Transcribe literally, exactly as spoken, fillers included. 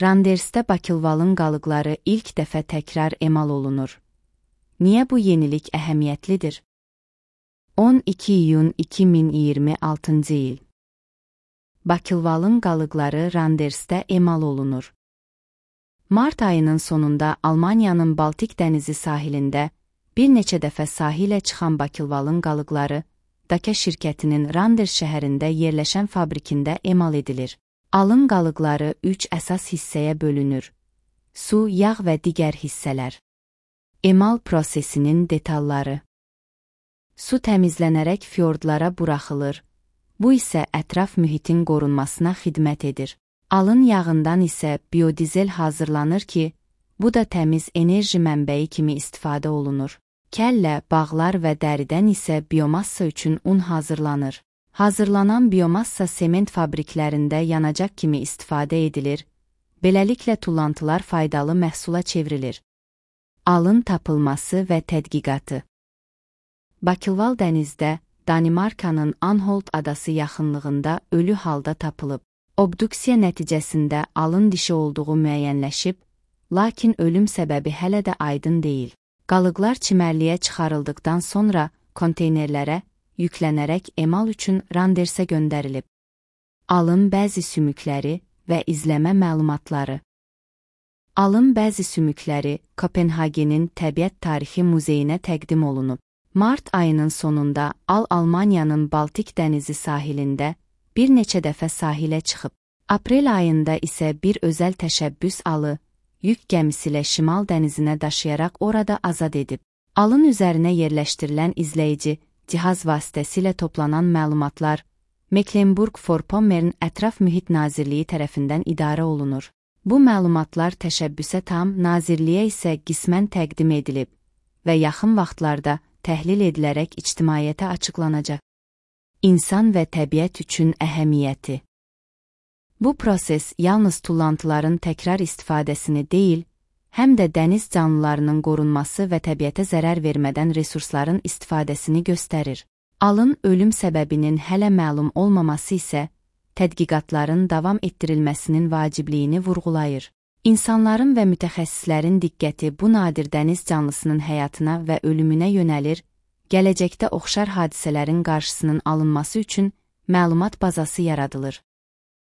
Randersdə bakılvalın qalıqları ilk dəfə təkrar emal olunur. Niyə bu yenilik əhəmiyyətlidir? on iki iyun iki min iyirmi altıncı il. Bakılvalın qalıqları Randersdə emal olunur. Mart ayının sonunda Almaniyanın Baltik dənizi sahilində bir neçə dəfə sahilə çıxan bakılvalın qalıqları Daka şirkətinin Randers şəhərində yerləşən fabrikində emal edilir. Alın qalıqları üç əsas hissəyə bölünür: su, yağ və digər hissələr. Emal prosesinin detalları. Su təmizlənərək fyordlara buraxılır. Bu isə ətraf mühitin qorunmasına xidmət edir. Alın yağından isə biodizel hazırlanır ki, bu da təmiz enerji mənbəyi kimi istifadə olunur. Kəllə, bağlar və dəridən isə biomassa üçün un hazırlanır. Hazırlanan biomassa sement fabriklərində yanacaq kimi istifadə edilir, beləliklə tullantılar faydalı məhsula çevrilir. Alın tapılması və tədqiqatı. Bakılval dənizdə, Danimarkanın Anholt adası yaxınlığında ölü halda tapılıb. Obduksiya nəticəsində alın dişi olduğu müəyyənləşib, lakin ölüm səbəbi hələ də aydın deyil. Qalıqlar çimərliyə çıxarıldıqdan sonra konteynerlərə yüklənərək emal üçün Randersə göndərilib. Alın bəzi sümükləri və izləmə məlumatları. Alın bəzi sümükləri Kopenhagenin Təbiət Tarixi Muzeyinə təqdim olunub. Mart ayının sonunda Al Almaniyanın Baltik dənizi sahilində bir neçə dəfə sahilə çıxıb. Aprel ayında isə bir özəl təşəbbüs alı, yük gəmisi ilə Şimal dənizinə daşıyaraq orada azad edib. Alın üzərinə yerləşdirilən izləyici cihaz vasitəsilə toplanan məlumatlar Mecklenburg-Vorpommern Ətraf Mühit Nazirliyi tərəfindən idarə olunur. Bu məlumatlar təşəbbüsə tam, nazirliyə isə qismən təqdim edilib və yaxın vaxtlarda təhlil edilərək ictimaiyyətə açıqlanacaq. İnsan və təbiət üçün əhəmiyyəti. Bu proses yalnız tullantıların təkrar istifadəsini deyil, həm də dəniz canlılarının qorunması və təbiətə zərər vermədən resursların istifadəsini göstərir. Alın ölüm səbəbinin hələ məlum olmaması isə tədqiqatların davam etdirilməsinin vacibliyini vurğulayır. İnsanların və mütəxəssislərin diqqəti bu nadir dəniz canlısının həyatına və ölümünə yönəlir, gələcəkdə oxşar hadisələrin qarşısının alınması üçün məlumat bazası yaradılır.